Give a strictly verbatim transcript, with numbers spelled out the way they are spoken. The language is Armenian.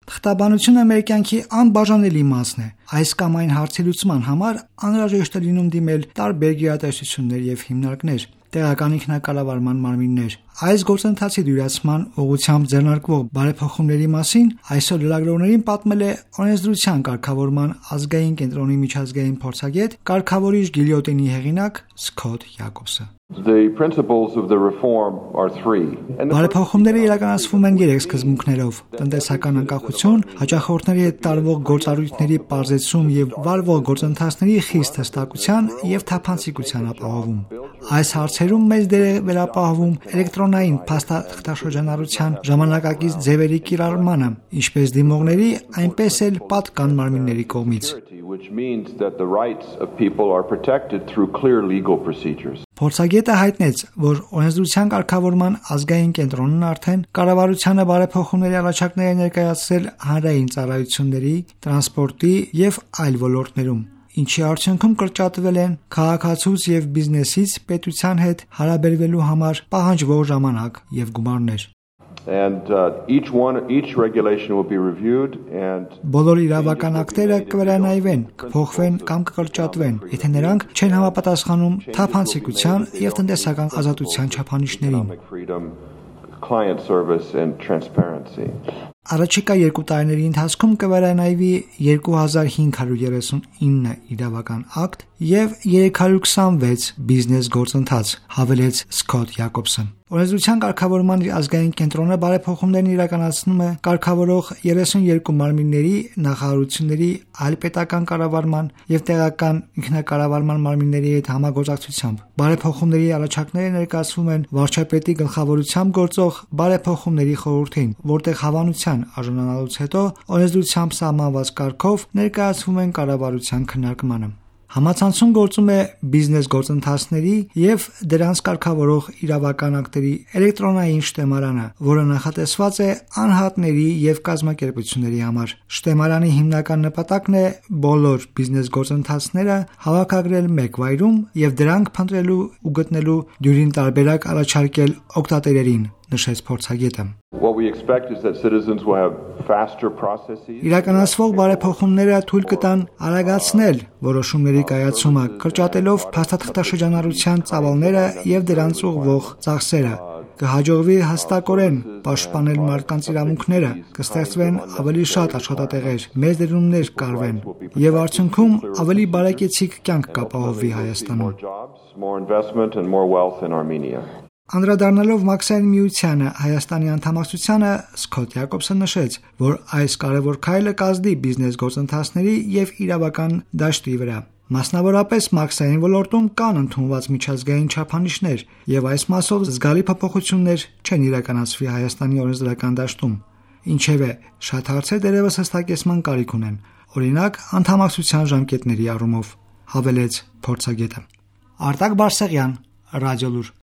Թղթաբանությունը մեր կյանքի անբաժանելի մասն է։ Այս կամ այն հարցի լուծման համար անհրաժեշտ է լինում դիմել տարբեր գերատեսչություններ եւ հիմնարկներ, տեղական ինքնակառավարման մարմիններ։ Այս գործընթացի դյուրացման ուղղությամբ ձեռնարկվող բարեփոխումների մասին այսօր լրագրողներին պատմել է օրենսդրության կարգավորման ազգային կենտրոնի միջազգային փորձագետ, կարգավորիչ գիլյոտինի հեղինակ Սքոթ Յակոբսը։ The principles of the reform are three. Բարեփոխումները իրականացվում են երեք սկզբունքներով՝ տնտեսական անկախություն, հաճախորդների հետ տարվող գործառույթների պարզեցում եւ վարվող գործընթացների խիստ հստակության եւ թափանցիկության ապահովում։ Այս հարցերում մեծ դեր է վերապահվում էլեկտրոնային փաստաթղթաշրջանառության ժամանակակից ձևերի կիրառմանը, ինչպես դիմողների, այնպես էլ պատկան մարմինների կողմից։ Which means that the rights of people are protected through clear legal procedures. Փորձագետը հայտնեց, որ օրենսդրության կարգավորման ազգային կենտրոնն արդեն կառավարությանը բարեփոխումների առաջարկներ է ներկայացրել հանրային ծառայությունների, տրանսպորտի եւ այլ ոլորտներում, ինչի արդյունքում կրճատվել են քաղաքացուց եւ բիզնեսից պետության հետ հարաբերվելու համար պահանջվող ժամանակ եւ գումարներ։ And uh, each one each regulation will be reviewed and Բոլոր իրավական ակտերը կվերանայվեն, կփոխվեն կամ կկրճատվեն, եթե նրանք չեն համապատասխանում թափանցիկության եւ տնտեսական ազատության չափանիշներին։ Client service and transparency. Առաջիկա երկու տարիների ընթացքում կվերանայվի երկու հազար հինգ հարյուր երեսունինը իրավական ակտ եւ երեք հարյուր քսանվեց բիզնես գործընթաց, հավելեց Սքոթ Յակոբսը։ Օրենսդրության կարգավորման ազգային կենտրոնը բարեփոխումներն իրականացնում է կարգավորող երեսունյոթ մարմինների, նախարարությունների, այլ պետական կառավարման եւ տեղական ինքնակառավարման մարմինների հետ համագործակցությամբ։ Բարեփոխումների առաջարկները ներկայացվում են վարչապետի գլխավորությամբ գործող բարեփոխումների խորհրդին, որտեղ հավանության արժանանալուց հետո օրենսդրությամբ սահմանված կարգով ներկայացվում են կառավարության քննարկմանը։ Համացանցում գործում է բիզնես գործընթացների եւ դրանց կարգավորող իրավական ակտերի էլեկտրոնային շտեմարանը, որը նախատեսված է անհատների եւ կազմակերպությունների համար։ Շտեմարանի հիմնական նպատակն է բոլոր բիզնես գործընթացները հավաքագրել մեկ վայրում եւ դրանք փնտրելու ու գտնելու դյուրին տարբերակ առաջարկել օգտատերերին, նշեց փորձագետը։ What we expect is that citizens will have faster processes. Իրականացվող բարեփոխումները թույլ կտան արագացնել որոշումների կայացումը, կրճատելով փաստաթղթաշրջանառության ծավալները եւ դրանց ուղղվող ծախսերը։ Կհաջողվի հստակորեն պաշտպանել մարդկանց իրավունքները, կստեղծվեն ավելի շատ աշխատատեղեր, մեծ դերումներ կարվեն եւ արդյունքում ավելի բարեկեցիկ կյանք կապահովվի Հայաստանում։ More investment and more wealth in Armenia. Անդրադառնալով Մաքսային միությանը Հայաստանի անդամակցությանը Սքոթ Յակոբսը նշեց, որ այս կարևոր քայլը կազդի բիզնես գործընթացների եւ իրավական դաշտի վրա։ Մասնավորապես Մաքսային ոլորտում կան ընդունված միջազգային չափանիշներ եւ այս մասով զգալի փոփոխություններ չեն իրականացվի Հայաստանի օրենսդրական դաշտում։ Ինչևէ, շատ հարցեր դեռևս հստակեցման կարիք ունեն, օրինակ անդամակցության ժամկետների առումով, հավելեց փորձագետը։ Արտակ Բարսեղյան, Ռադիոլուր։